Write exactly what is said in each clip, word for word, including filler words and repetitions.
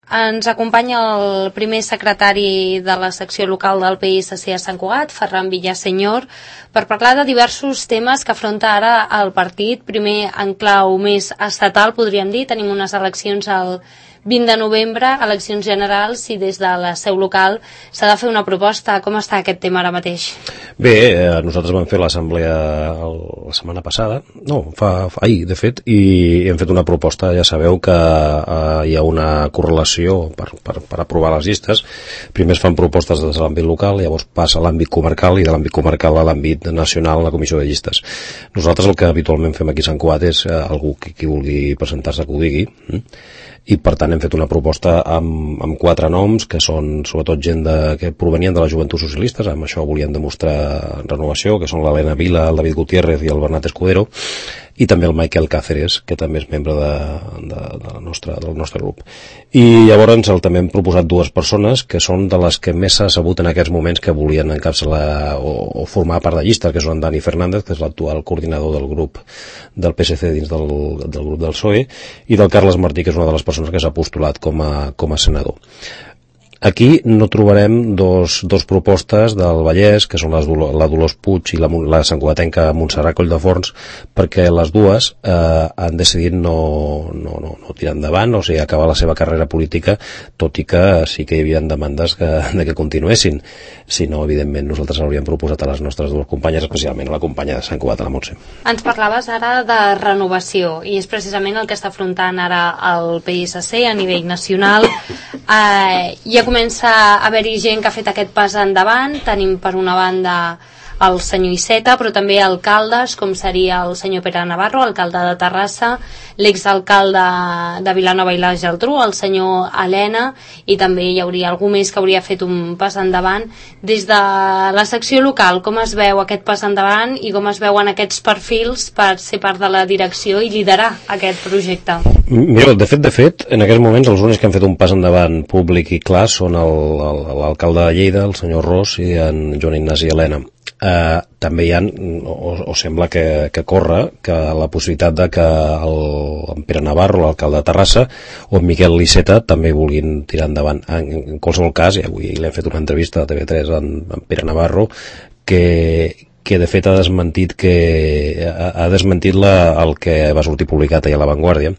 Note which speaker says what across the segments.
Speaker 1: Ens acompanya el primer secretari de la secció local del P S C a Sant Cugat, Ferran Villaseñor, per parlar de diversos temes que afronta ara el partit. Primer, en clau més estatal, podríem dir, tenim unes eleccions al vint de novembre, eleccions generals, i des de la seu local s'ha de fer una proposta. Com està aquest tema ara mateix?
Speaker 2: Bé, eh, nosaltres vam fer l'assemblea la setmana passada, no, fa, fa ahir, de fet, i hem fet una proposta. Ja sabeu que eh, hi ha una correlació per, per, per aprovar les llistes. Primer es fan propostes des de l'àmbit local, llavors passa a l'àmbit comarcal, i de l'àmbit comarcal a l'àmbit nacional, a la comissió de llistes. Nosaltres el que habitualment fem aquí a Sant Cugat és eh, algú que qui vulgui presentar-se que ho digui, hm? I per tant hem fet una proposta amb, amb quatre noms, que són sobretot gent de, que provenien de les joventuts socialistes. Amb això volien demostrar renovació, que són l'Helena Vila, el David Gutiérrez i el Bernat Escudero, i també el Michael Cáceres, que també és membre de, de, de la nostra, del nostre grup. I llavors el, també hem proposat dues persones que són de les que més s'ha sabut en aquests moments que volien encapçalar o, o formar part de llista, que són Dani Fernández, que és l'actual coordinador del grup del P S C dins del, del grup del P S O E, i del Carles Martí, que és una de les persones que s'ha postulat com a, com a senador. Aquí no trobarem dos, dos propostes del Vallès, que són les, la Dolors Puig i la, la santcugatenca Montserrat Colldeforns, perquè les dues eh, han decidit no, no, no, no tirar endavant, o sigui, acabar la seva carrera política, tot i que sí que hi havia demandes que, de que continuessin. Si no, evidentment, nosaltres hauríem proposat a les nostres dues companyes, especialment a la companya de Sant Cugat, a la Montse.
Speaker 1: Ens parlaves ara de renovació, i és precisament el que està afrontant ara el P S C a nivell nacional. Eh, hi ha comença a haver-hi gent que ha fet aquest pas endavant. Tenim per una banda el senyor Iceta, però també alcaldes, com seria el senyor Pere Navarro, alcalde de Terrassa, l'exalcalde de Vilanova i la Geltrú, el senyor Helena, i també hi hauria algú més que hauria fet un pas endavant. Des de la secció local, com es veu aquest pas endavant i com es veuen aquests perfils per ser part de la direcció i liderar aquest projecte?
Speaker 2: Mira, de fet, de fet, en aquests moments els únics que han fet un pas endavant públic i clar són l'alcalde de Lleida, el senyor Ros, i en Joan Ignasi Helena. Uh, també hi ha, o, o sembla que, que corre, que la possibilitat de que el, en Pere Navarro, l'alcalde de Terrassa, o en Miquel Iceta també vulguin tirar endavant. En, en qualsevol cas, i avui l'hem fet una entrevista a T V tres en, en Pere Navarro, que, que de fet ha desmentit, que, ha, ha desmentit la, el que va sortir publicat ahir a La Vanguardia.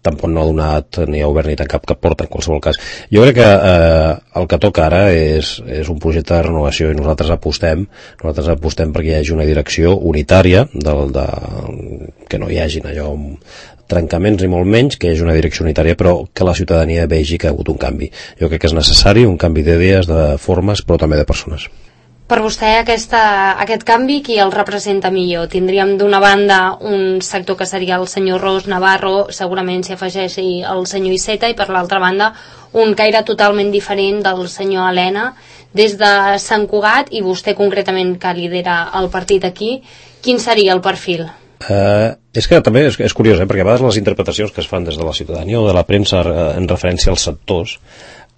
Speaker 2: Tampoc no ha donat ni ha obert ni tan cap, cap porta, en qualsevol cas. Jo crec que eh, el que toca ara és, és un projecte de renovació, i nosaltres apostem nosaltres apostem perquè hi hagi una direcció unitària, del, de, que no hi hagin allò trencaments ni molt menys, que hi hagi una direcció unitària, però que la ciutadania vegi que ha hagut un canvi. Jo crec que és necessari un canvi d'idees, de formes, però també de persones.
Speaker 1: Per vostè aquesta, aquest canvi, qui el representa millor? Tindríem d'una banda un sector que seria el senyor Ros Navarro, segurament s'hi afegeixi el senyor Iceta, i per l'altra banda un caire totalment diferent del senyor Helena. Des de Sant Cugat, i vostè concretament que lidera el partit aquí, quin seria el perfil?
Speaker 2: Uh, és que també és, és curiós, eh? Perquè a vegades les interpretacions que es fan des de la ciutadania o de la premsa uh, en referència als sectors,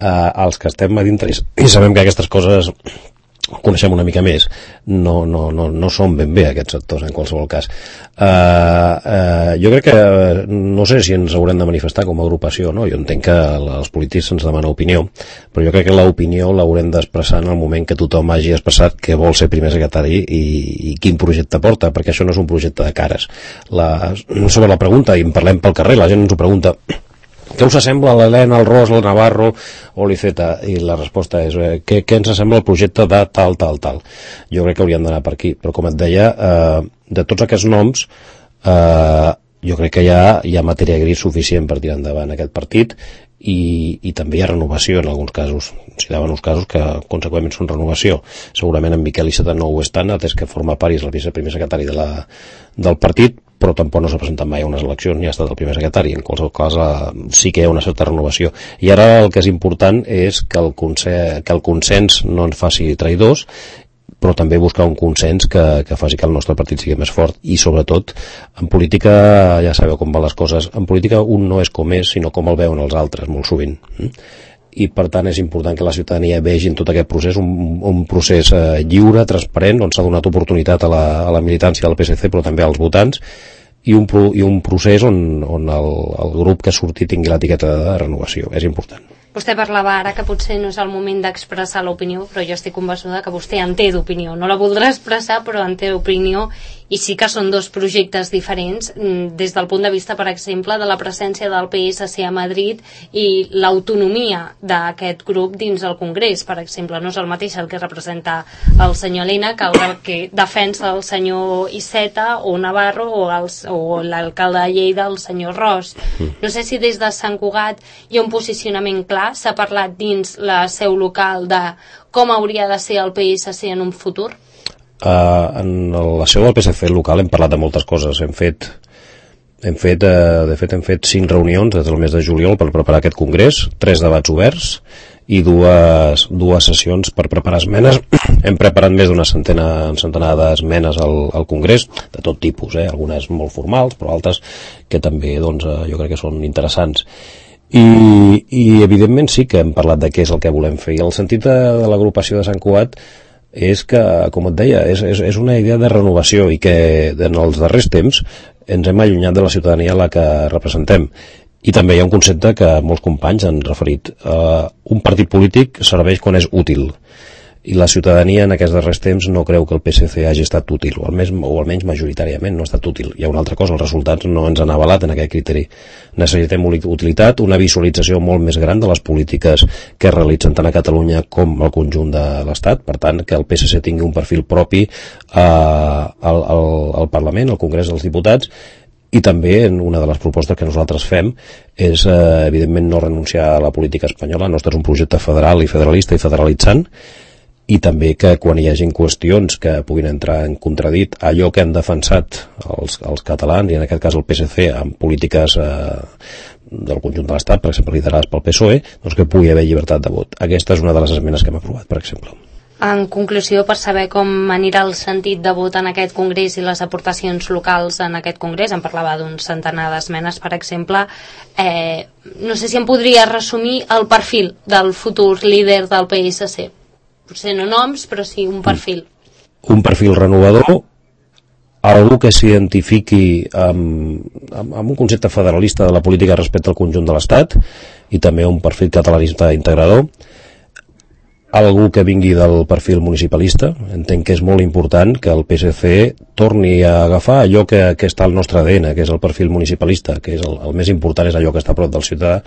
Speaker 2: uh, als que estem a dintre i sabem que aquestes coses coneixem una mica més, no, no, no, no són ben bé aquests sectors en qualsevol cas. Uh, uh, jo crec que no sé si ens haurem de manifestar com a agrupació, no? Jo entenc que els polítics ens demanen opinió, però jo crec que l'opinió l'haurem d'expressar en el moment que tothom hagi expressat que vol ser primer secretari i, i quin projecte porta, perquè això no és un projecte de cares. La, sobre la pregunta, i en parlem pel carrer, la gent ens ho pregunta: què us assembla l'Helena, el Ros, el Navarro o l'Iceta? I la resposta és eh, què, què ens assembla el projecte de tal, tal, tal. Jo crec que hauríem d'anar per aquí, però com et deia, eh, de tots aquests noms, eh, jo crec que hi ha, hi ha matèria gris suficient per tirar endavant aquest partit, i, i també hi ha renovació en alguns casos. S'hi daven uns casos que conseqüentment són renovació. Segurament en Miquel Iceta no ho és tant, atès que forma part i és el viceprimer secretari de la, del partit, però tampoc no s'ha presentat mai a unes eleccions ni ha estat el primer secretari. En qualsevol cas eh, sí que hi ha una certa renovació. I ara el que és important és que el consens, que el consens no ens faci traïdors, però també buscar un consens que, que faci que el nostre partit sigui més fort. I sobretot en política, ja sabeu com van les coses, en política un no és com és, sinó com el veuen els altres, molt sovint. I per tant és important que la ciutadania vegi en tot aquest procés un, un procés eh, lliure, transparent, on s'ha donat oportunitat a la, a la militància del P S C, però també als votants, i un, pro, i un procés on, on el, el grup que surti tingui l'etiqueta de renovació. És important.
Speaker 1: Vostè parlava ara que potser no és el moment d'expressar l'opinió, però jo estic convençuda que vostè en té d'opinió. No la voldrà expressar, però en té d'opinió, i sí que són dos projectes diferents des del punt de vista, per exemple, de la presència del P S C a Madrid i l'autonomia d'aquest grup dins el Congrés, per exemple. No és el mateix el que representa el senyor Elena que el que defensa el senyor Iceta o Navarro o, els, o l'alcalde de Lleida, el senyor Ros. No sé si des de Sant Cugat hi ha un posicionament clar. S'ha parlat dins la seu local de com hauria de ser el P S C en un futur?
Speaker 2: Uh, en la seu del P S C local hem parlat de moltes coses. Hem fet, hem fet, uh, de fet, hem fet cinc reunions des del mes de juliol per preparar aquest congrés, tres debats oberts i dues, dues sessions per preparar esmenes. Hem preparat més d'una centena, un centenar d'esmenes al, al congrés, de tot tipus, eh? Algunes molt formals, però altres que també doncs, uh, jo crec que són interessants. I, i evidentment sí que hem parlat de què és el que volem fer, i el sentit de, de l'agrupació de Sant Cugat és que, com et deia, és, és, és una idea de renovació, i que en els darrers temps ens hem allunyat de la ciutadania a la que representem. I també hi ha un concepte que molts companys han referit. Uh, un partit polític serveix quan és útil, i la ciutadania en aquests darrers temps no creu que el P S C hagi estat útil, o almenys, o almenys majoritàriament no ha estat útil. Hi ha una altra cosa, els resultats no ens han avalat en aquest criteri. Necessitem utilitat, una visualització molt més gran de les polítiques que es realitzen tant a Catalunya com al conjunt de l'Estat. Per tant, que el P S C tingui un perfil propi eh, al, al, al Parlament, al Congrés dels Diputats. I també una de les propostes que nosaltres fem és, eh, evidentment, no renunciar a la política espanyola. El nostre és un projecte federal i federalista i federalitzant, i també que quan hi hagin qüestions que puguin entrar en contradit allò que han defensat els, els catalans, i en aquest cas el P S C, amb polítiques eh, del conjunt de l'Estat, per exemple, liderades pel P S O E, doncs que pugui haver llibertat de vot. Aquesta és una de les esmenes que hem aprovat, per exemple.
Speaker 1: En conclusió, per saber com anirà el sentit de vot en aquest congrés i les aportacions locals en aquest congrés, em parlava d'un centenar d'esmenes, per exemple, eh, no sé si em podria resumir el perfil del futur líder del P S C. Potser no noms, però sí un perfil.
Speaker 2: Un perfil renovador, algú que s'identifiqui amb, amb, amb un concepte federalista de la política respecte al conjunt de l'Estat, i també un perfil catalanista integrador, algú que vingui del perfil municipalista. Entenc que és molt important que el P S C torni a agafar allò que, que està al nostre A D N, que és el perfil municipalista, que és el, el més important, és allò que està a prop del ciutadà,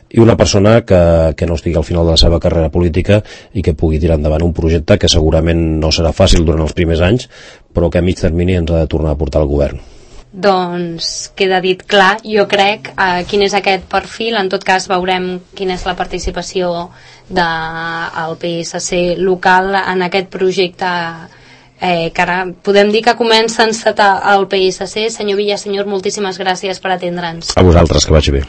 Speaker 2: i una persona que, que no estigui al final de la seva carrera política i que pugui tirar endavant un projecte que segurament no serà fàcil durant els primers anys, però que a mig termini ens ha de tornar a portar al govern.
Speaker 1: Doncs queda dit clar, jo crec, eh, quin és aquest perfil. En tot cas veurem quina és la participació del P S C local en aquest projecte, eh, que ara podem dir que comença a encetar el P S C. Senyor Villaseñor, moltíssimes gràcies per atendre'ns.
Speaker 2: A vosaltres, que vagi bé.